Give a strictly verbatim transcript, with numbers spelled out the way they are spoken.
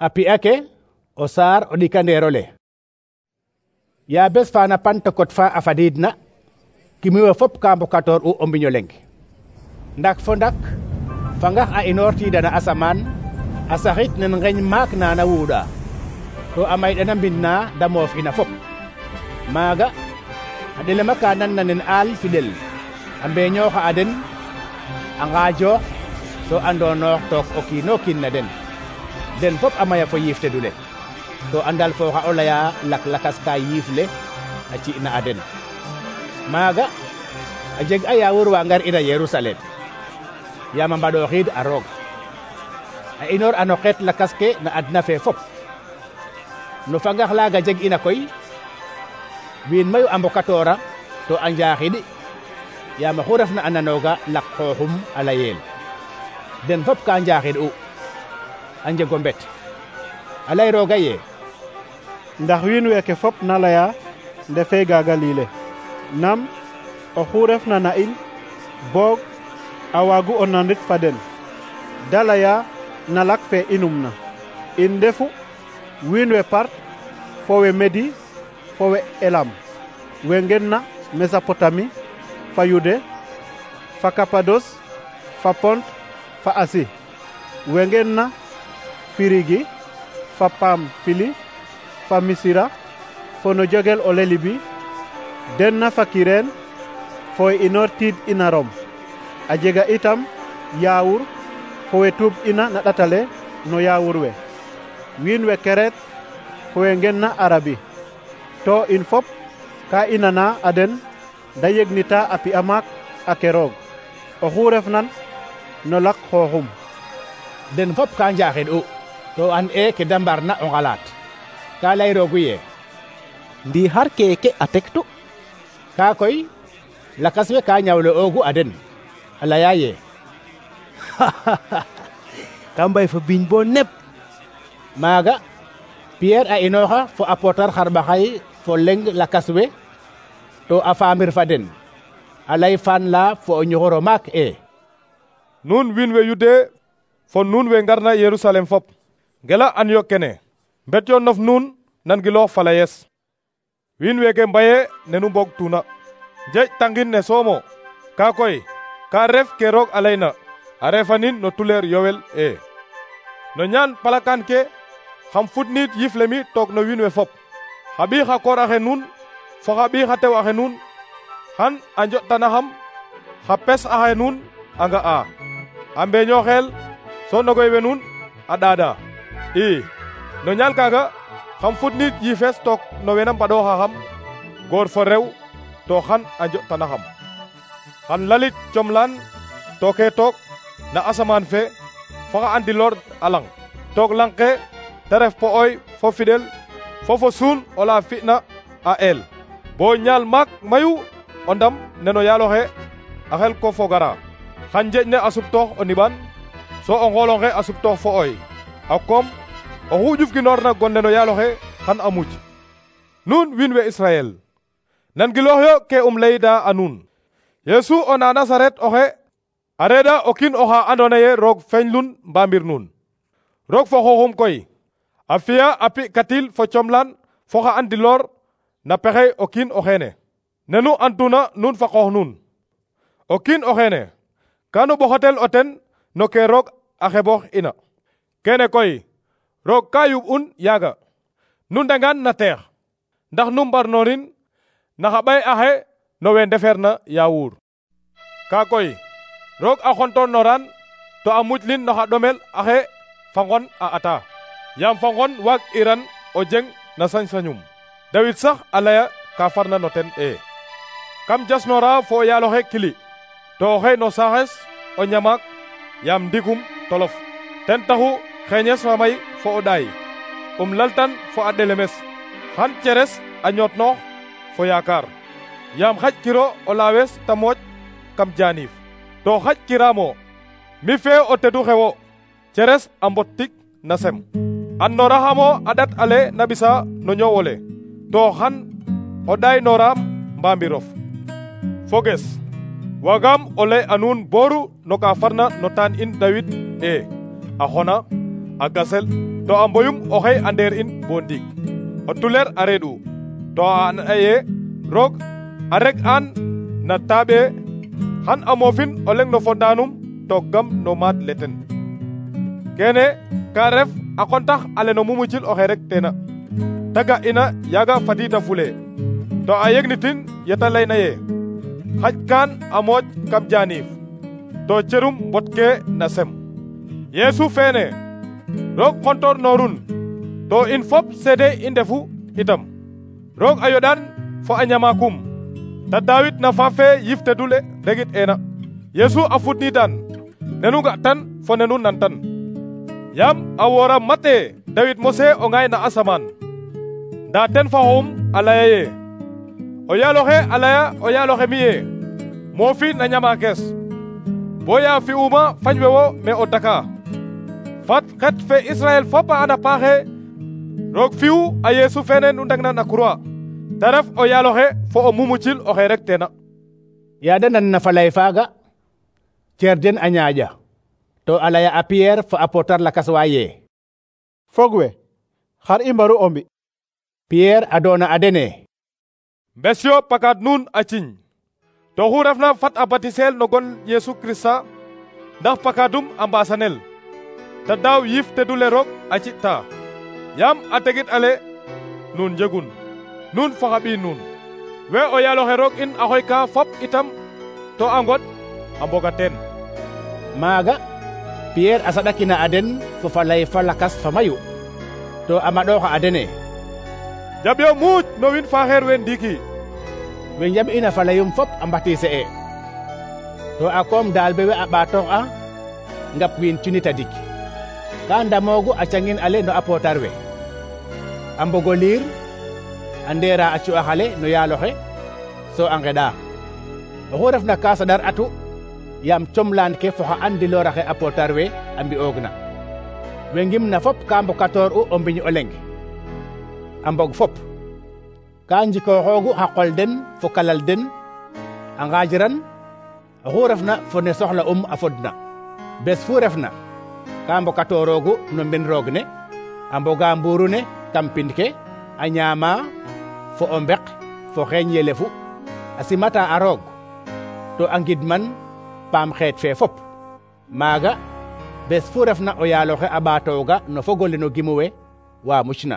a pi'a ke o saar o ɗikandeerole. Ya bes fana Pentecôte fa a fadiidna kimiwe fop ka mbokatoor u o mbiño leng. Ndak fo ndak fangax a inoortiida na asamaan a saxit nen ngeñ maak na na wuuɗa to a mayɗana mbind na da moof ina fop. Maaga a ɗelema ka nanna nen aal fidel a mbeeñooxa a den a ngaajoox so a ndoonoox took o kiin o kiin na den den fop a maya fo yiif tedule to a ndalfooxa o laya lak-lakas ka yiif le a ci'na a den. Maaga a jeg a yaawur wa ngar ina Yerusalem yaam a mbaɗooxiid a roog a inoor a no xeet lakas ke na adna fe fop. No fangax laaga jeg ina koy wiin mayu a mbokatoora to a njaaxid yaam oxu refna a nanooga laq xooxum a layeel den fop ka njaaxid u a njego mbet a lay rooga ye ndax wiin weeke fop na laya ndefe Galile nam oxu refna na in boog a waagu o nanit fa den da laya na lak fe inum na in ndefu wiin we Part fo we Medi fo we Elam we ngenna Mesopotami fa Yude fa Kapados fa Pont fa Asi we ngenna Firigi fa Pamfili fa Misira fo no jogel o Lelibi denna fa Kireen fo inoor tiid ina Rom a jega itam yaawur fo we tuub ina na ɗatale no yaawur we wiin we Keret fo we ngenna Arabi to in fop ka inana a den da yegnita a pi'a maak a ke roog oxu refnan no lak xooxum. Den fop ka njaaxid u to an e ke da mbarna o ngalaat ka lay roogu ye ndi har keke a tektu ka koy lakas we ka ñawle oogu a den a laya ye ka mbay fo biñ bo nep. Maaga Pierre a inooxa fo a pootar xarɓaxay fo leng lakas we to a faamir fa den a lay fan la fo o ñoxoro maak e nuun wiin we Yude fo nuun we ngarna Yerusalem fop ngela an yo kene mbet yo nof nuun nangiloox fa layes wiin weke mbaye nenu mbog tuna jej tangin ne soomo ka koy ka ref ke roog a layna a refanin no tuleer yowel e no ñaan palakan ke xam futniit yifle mi took no wiin we fop xa ɓii xa koor axe nuun fo xa ɓii xa tew axe nuun xan a njo'tanaxam xa pes axe nuun a nga'a a mbeeñooxeel so nogoy we nuun a ɗaada i no ñaal kaaga xam futniit yifes took no wena mbaɗooxaxam goor fo rew to xan a njo'tanaxam xan lalit comlaan tooke took na asamaan fe fo xa andiloor a lang took lang ke te ref po'oy fo fidel fo fo suun ola fi'na a el bo ñaal maak mayu o ndam neno yaaloxe a xel ko fogara xan njeeƴ ne a suptoox o niɓan so o ngoolonge a suptoox fo oy a koom oxu ƴufginoorna gon neno yaaloxe xan a muj. Nuun wiin we Israel nangiloox yo ke um layda a nuun Yeesu o na Nasaret oxe a reɗa o kiin oxa andoona ye roog feñlun mbamir nuun roog fo xooxum koy a fi'a a pi katil fo comlaan fo xa andiloor na pexey o kiin o xeene nenu antuna nuun fa qoox nuun o kiin o xeene kanu ɓoxatel o ten no ke roog a xeboox ina kene koy roog ka yuɓ'un yaaga nu ndangaan na teex ndax nu mbarnoorin na xa ɓay axe no we ndefeerna yaawuur ka koy roog a xontoornoran to a mujlin no xa ɗomel axe fa ngon a ata yaam fa ngon waag iran o jeng na sañ-sañum Dawid sax a laya ka farna no ten e kam jasnoora fo o yaaloxe kili to oxe no saaxes o ñamaak yaam ndigum tolof ten taxu xeeñes fa may fo o ɗaay um laltan fo a ɗelemes xan ceres a ñootnoox fo yaakaar yaam xaƴ kiro o laawes ta mooƴ kam jaaniif to xaƴ kiraamo mi fee o tedu xewo ceres a mbot tik na sem andooraxamo a ɗat ale na ɓisa no ñoowole to xan o ɗaay nooraam mbambirof foges wagam o lay a nuun booru no ka farna no taan in Dawid e a xona a gasel to a mboyum oxey a ndeer in bo ndiig o tuleer a reeɗ'u to a an ye roog a reg an na taaɓe xan a moofin o leŋ no fondaanum to gam no maad le ten kene ka ref a qontax ale no mumucil oxe rek teena ta ga ina yaaga fadiida fule to a yegnitin yeta layna ye xaj kaan a mooƴ kam jaaniif to cerum mbotke na sem Yeesu feene roog xontor noorun to in fop seede i ndefu itam roog a yoɗan fo a ñamakum ta Daawit na faaf fe yifte dule regit eena Yeesu a fudniidan nenu ga tan fo nenu nan tan yaam a woora mate Daawit mose o ngaay na asamaan nda ten fa xoxum a laya ye o yaaloxe a laya o yaaloxe mi ye moofi na ñamaakes bo ya fi'uma fañ we wo me o daka fat xet fe Israel fop a anda paaxe roog fi'u a Yeesu fene nu ndagna na croix ta ref o yaaloxe fo o mumucil oxe rek teena yaada nan na falay faaga cer den a ñaaƴa to a laya a Pierre fo apôtre lakas wa ye fog we xar i mbaru o mbi Pierre a doona a dene mbesyo pakat nuun a ciñ to xu refna fat a batisel no gon Yeesu Krista ndax pakadum a mbasanel ta daaw yif te dule roog a ci'ta yaam a tegit ale nuun njegun nuun fo xa ɓiy nuun we o yaaloxe roog in a xoyka fop itam to a ngod a mboga teen maaga Pierre a saɗakina a den fo falay fa lakas fa mayu to a maɗooxa a dene jaɓyo muuc no wiin faaxeer we ndiiki we njaɓ ina falayum fop a mbatise e to a koom daal be we a ɓaatoox a ngap wiin cuni tadik ka ndamoogu a cangin ale no apôtre we a mbogo liir a ndeera a cu'ax ale no yaaloxe so a ngeɗa oxu refna ka saɗar atu yaam comlaan ke fo xa andilooraxe apôtre we a mbi'oogna we ngimna fop ka mbokatoor u o mbiñ o leŋ a mbog fop ka njikooxoogu xa qol den fo kalal den a ngaajiran oxu refna fo ne soxla um a fodna bes fu refna ka mbokatooroogu no mbin roog ne a mboga mbuuru ne kam pind ke a ñaama fo o mbek fo xeeñ yelefu a simata a roog to a ngidman paam xeet fe fop maaga bes fu refna o yaaloxe a ɓaatooga no fogole no gimu we wa mucna